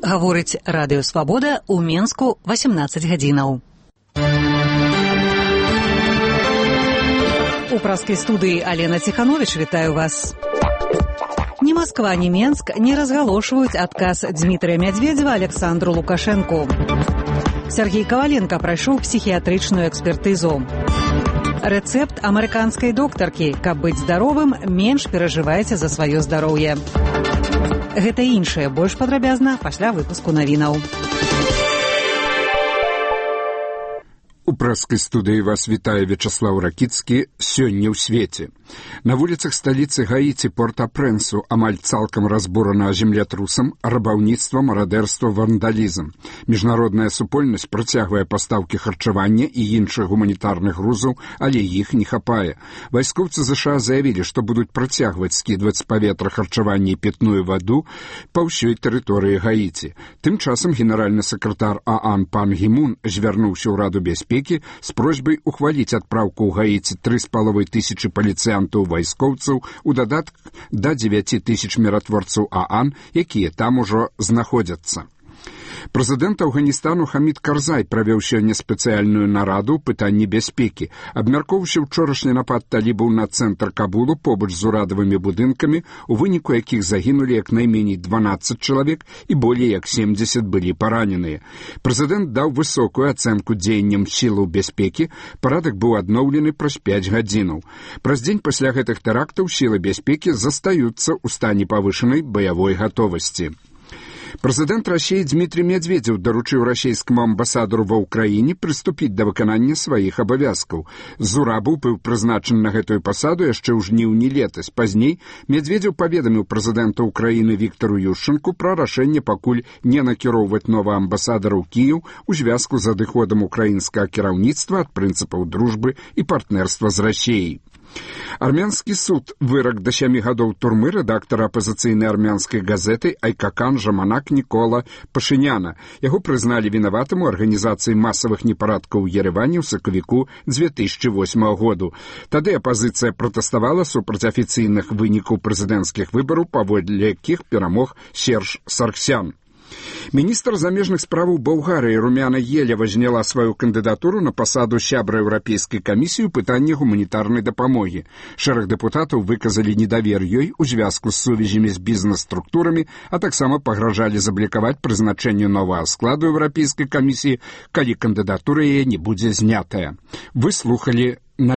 Гаворыць Радыё Свабода ў Менску 18 гадзінаў. У праскай студыі Алена Ціхановіч вітаю вас. Ні Масква, ні Менск не разгалошваюць адказ Дмітрыя Мядзведзева Александру Лукашэнку. Сергей Каваленко прайшоў псіхіятрычную экспертызу. Рэцэпт амерыканскай доктаркі: каб быць здаровым, менш перажывайце за сваё здароўе. Гэта і іншае больш падрабязна пасля выпуску навінаў. У праскай студыі вас вітае Вячаслаў Ракіцкі. Сёння ў свеце. На вуліцах сталіцы Гаіці Порт-а-Прэнсу амаль цалкам разбурана землятрусам, рабаўніцтва, марадэрства, вандалізм. Міжнародная супольнасць працягвае пастаўкі харчавання і іншых гуманітарных грузаў, але іх не хапае. Вайскоўцы ЗША заявілі, што будуць працягваць скідваць з паветра харчаванне і пітную ваду па ўсёй тэрыторыі Гаіці. Тым часам генеральны сакратар ААН Пан Гі Мун звярнуўся ў Раду бяспекі з просьбай ухваліць адпраўку ў Гаіці 3,5 тысячы паліцыянтаў-вайскоўцаў у дадатак да 9 тысяч міратворцаў ААН, якія там ужо знаходзяцца. Прэзідэнт Афганістану Хамід Карзай правёў сёння спецыяльную нараду ў пытанні бяспекі. Абмяркоўваўся ўчорашні напад талібаў на цэнтр Кабулу побач з урадавымі будынкамі, у выніку якіх загінулі як найменей 12 чалавек і болей як 70 былі параненыя. Прэзідэнт даў высокую ацэнку дзеянням сілаў бяспекі, парадак быў адноўлены праз 5 гадзінаў. Праз дзень пасля гэтых тэрактаў сілы бяспекі застаюцца ў стане павышанай баявой гатовасці. Прэзідэнт Расіі Дмітрый Мядзведзеў даручыў расійскаму амбасадару ва ўкраіне прыступіць да выканання сваіх абавязкаў. Зурабаў быў прызначаны на гэтую пасаду яшчэ ў жніўні летась. Пазней Мядзведзеў паведаміў прэзідэнта ўкраіны Віктару Ющэнку пра рашэнне пакуль не накіроўваць новага амбасадара ў Кіеў у звязку з адыходам украінскага кіраўніцтва ад прынцыпаў дружбы і партнерства з Расіяй. Армянскі суд вырак да 7 гадоў турмы рэдактара апазіцыйнай армянскай газеты Айкакан Жаманак Нікола Пашыняна. Яго прызналі вінаватым у арганізацыі масавых непарадкаў у Ерэване ў сакавіку 2008 году. Тады апазіцыя пратэставала супраць афіцыйных вынікаў прэзідэнцкіх выбараў, паводле якіх перамог Серж Сарксян. Міністр замежных справаў Балгарыі Румяна Елева зняла сваю кандыдатуру на пасаду сябра Еўрапейскай камісіі ў пытанні гуманітарнай дапамогі. Шэраг дэпутатаў выказалі недавер ёй у звязку з сувязямі з бізнес-структурамі, а таксама пагражалі заблікаваць прызначэнне новага складу Еўрапейскай камісіі, калі кандыдатура яе не будзе знятая. Вы слухалі